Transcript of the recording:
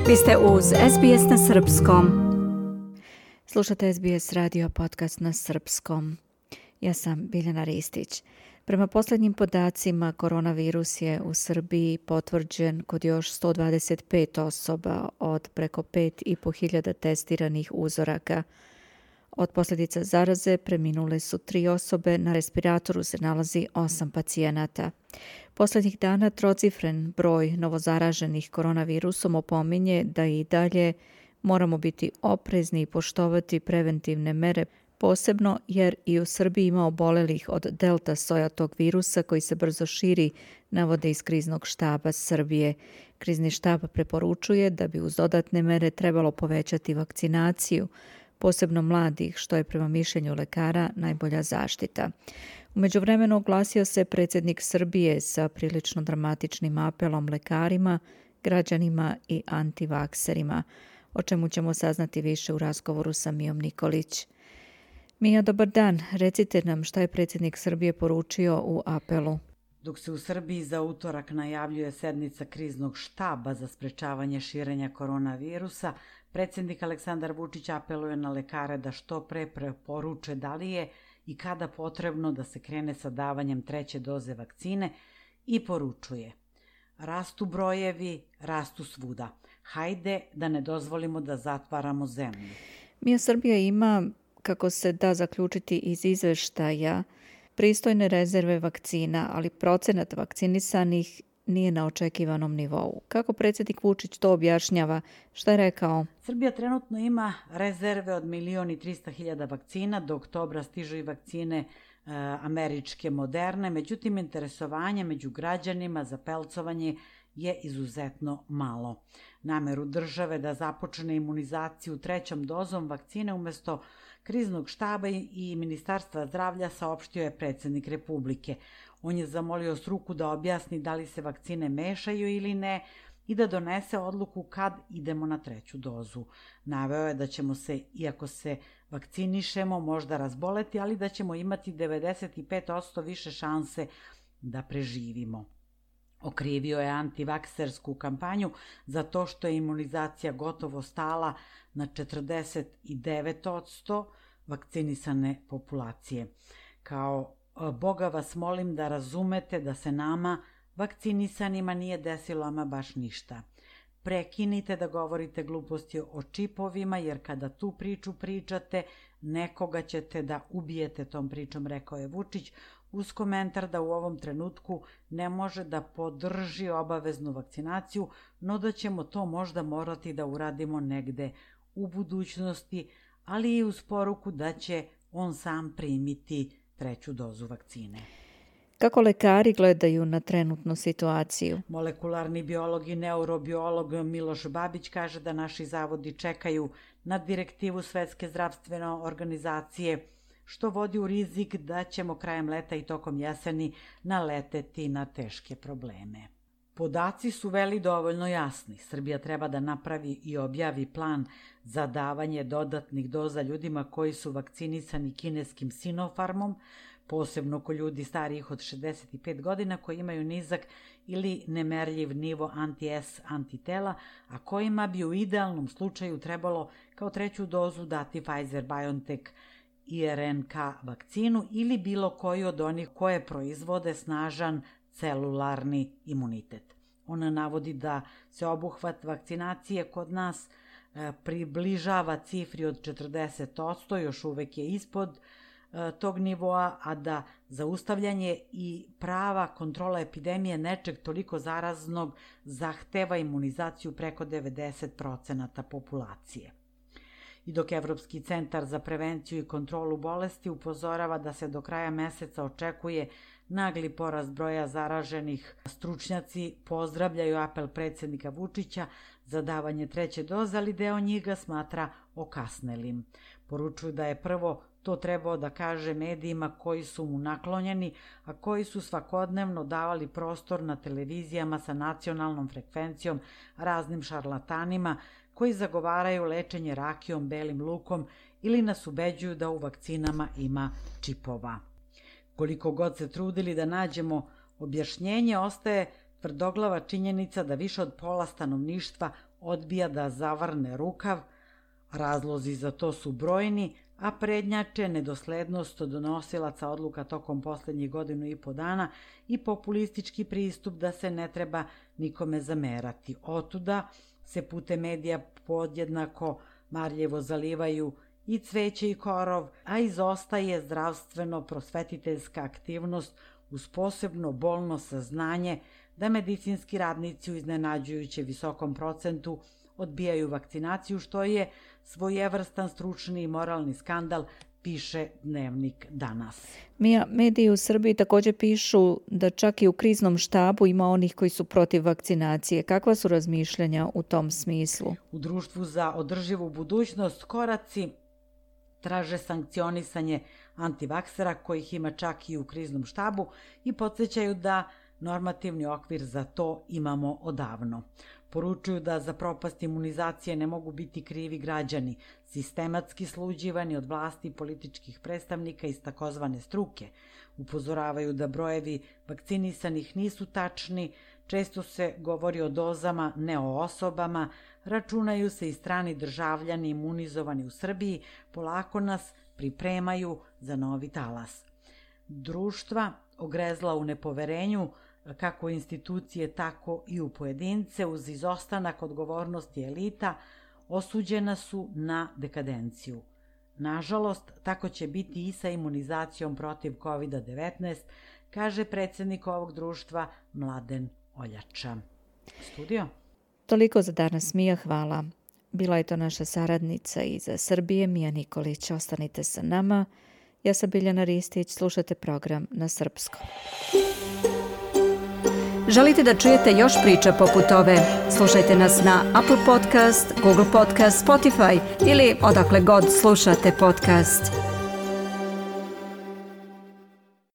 Vi ste uz SBS na srpskom. Slušate SBS radio podcast na srpskom. Ja sam Biljana Ristić. Prema posljednjim podacima, koronavirus je u Srbiji potvrđen kod još 125 osoba od preko 5.500 testiranih uzoraka. Od posljedica zaraze preminule su 3 osobe, na respiratoru se nalazi 8 pacijenata. Posljednjih dana trocifren broj novozaraženih koronavirusom opominje da i dalje moramo biti oprezni i poštovati preventivne mere, posebno jer i u Srbiji ima obolelih od delta soja tog virusa koji se brzo širi, navode iz kriznog štaba Srbije. Krizni štab preporučuje da bi uz dodatne mere trebalo povećati vakcinaciju, posebno mladih, što je prema mišljenju lekara najbolja zaštita. U međuvremenu oglasio se predsjednik Srbije sa prilično dramatičnim apelom lekarima, građanima i antivakserima, o čemu ćemo saznati više u razgovoru sa Mijom Nikolić. Mija, dobar dan. Recite nam šta je predsjednik Srbije poručio u apelu. Dok se u Srbiji za utorak najavljuje sednica kriznog štaba za sprečavanje širenja koronavirusa, predsjednik Aleksandar Vučić apeluje na lekare da što pre preporuče da li je i kada potrebno da se krene sa davanjem 3. doze vakcine i poručuje: rastu brojevi, rastu svuda. Hajde da ne dozvolimo da zatvaramo zemlju. Mija, Srbija ima, kako se da zaključiti iz izveštaja, pristojne rezerve vakcina, ali procenat vakcinisanih nije na očekivanom nivou. Kako predsjednik Vučić to objašnjava? Šta je rekao? Srbija trenutno ima rezerve od 1.300.000 vakcina, do oktobra stižu i vakcine američke Moderne, međutim interesovanje među građanima za pelcovanje je izuzetno malo. Nameru države da započne imunizaciju 3. dozom vakcine umjesto kriznog štaba i Ministarstva zdravlja saopštio je predsjednik Republike. On je zamolio struku da objasni da li se vakcine mešaju ili ne i da donese odluku kad idemo na 3. dozu. Naveo je da ćemo se, iako se vakcinišemo, možda razboleti, ali da ćemo imati 95% više šanse da preživimo. Okrivio je antivaksersku kampanju za to što je imunizacija gotovo stala na 49% vakcinisane populacije. Kao: Boga vas molim da razumete da se nama, vakcinisanima, nije desilo ama baš ništa. Prekinite da govorite gluposti o čipovima, jer kada tu priču pričate, nekoga ćete da ubijete tom pričom, rekao je Vučić, uz komentar da u ovom trenutku ne može da podrži obaveznu vakcinaciju, no da ćemo to možda morati da uradimo negde u budućnosti, ali i uz poruku da će on sam primiti 3. dozu vakcine. Kako lekari gledaju na trenutnu situaciju? Molekularni biolog i neurobiolog Miloš Babić kaže da naši zavodi čekaju na direktivu Svetske zdravstvene organizacije, što vodi u rizik da ćemo krajem leta i tokom jeseni naleteti na teške probleme. Podaci su dovoljno jasni. Srbija treba da napravi i objavi plan za davanje dodatnih doza ljudima koji su vakcinisani kineskim Sinopharmom, posebno kod ljudi starijih od 65 godina koji imaju nizak ili nemerljiv nivo anti-S antitela, a kojima bi u idealnom slučaju trebalo kao 3. dozu dati Pfizer-BioNTech i RNK vakcinu ili bilo koju od onih koje proizvode snažan celularni imunitet. Ona navodi da se obuhvat vakcinacije kod nas približava cifri od 40%, još uvek je ispod tog nivoa, a da zaustavljanje i prava kontrola epidemije nečeg toliko zaraznog zahteva imunizaciju preko 90% populacije. I dok Evropski centar za prevenciju i kontrolu bolesti upozorava da se do kraja meseca očekuje nagli porast broja zaraženih, stručnjaci pozdravljaju apel predsjednika Vučića za davanje 3. doze, ali deo njih ga smatra okasnelim. Poručuju da je prvo to trebao da kaže medijima koji su mu naklonjeni, a koji su svakodnevno davali prostor na televizijama sa nacionalnom frekvencijom raznim šarlatanima koji zagovaraju lečenje rakijom, belim lukom ili nas ubeđuju da u vakcinama ima čipova. Koliko god se trudili da nađemo objašnjenje, ostaje tvrdoglava činjenica da više od pola stanovništva odbija da zavrne rukav, razlozi za to su brojni, a prednjače nedoslednost donosilaca odluka tokom poslednjih 1,5 dana i populistički pristup da se ne treba nikome zamerati. Otuda se putem medija podjednako marljivo zalivaju i cveće i korov, a izostaje zdravstveno-prosvetiteljska aktivnost uz posebno bolno saznanje da medicinski radnici u iznenađujuće visokom procentu odbijaju vakcinaciju, što je svojevrstan stručni i moralni skandal, piše Dnevnik danas. Mija, mediji u Srbiji također pišu da čak i u kriznom štabu ima onih koji su protiv vakcinacije. Kakva su razmišljanja u tom smislu? U Društvu za održivu budućnost koraci traže sankcionisanje antivaksera, kojih ima čak i u kriznom štabu, i podsjećaju da normativni okvir za to imamo odavno. Poručuju da za propast imunizacije ne mogu biti krivi građani, sistematski sluđivani od vlasti i političkih predstavnika iz takozvane struke. Upozoravaju da brojevi vakcinisanih nisu tačni, često se govori o dozama, ne o osobama, računaju se i strani državljani imunizovani u Srbiji, polako nas pripremaju za novi talas. Društva ogrezla u nepoverenju, kako institucije, tako i u pojedince, uz izostanak odgovornosti elita, osuđena su na dekadenciju. Nažalost, tako će biti i sa imunizacijom protiv COVID-19, kaže predsjednik ovog društva Mladen Oljača. Studio? Toliko za danas, Mija, hvala. Bila je to naša saradnica iz Srbije, Mija Nikolić. Ostanite sa nama. Ja sam Biljana Ristić, slušate program na srpskom. Želite da čujete još priča poput ove? Slušajte nas na Apple Podcast, Google Podcast, Spotify ili odakle god slušate podcast.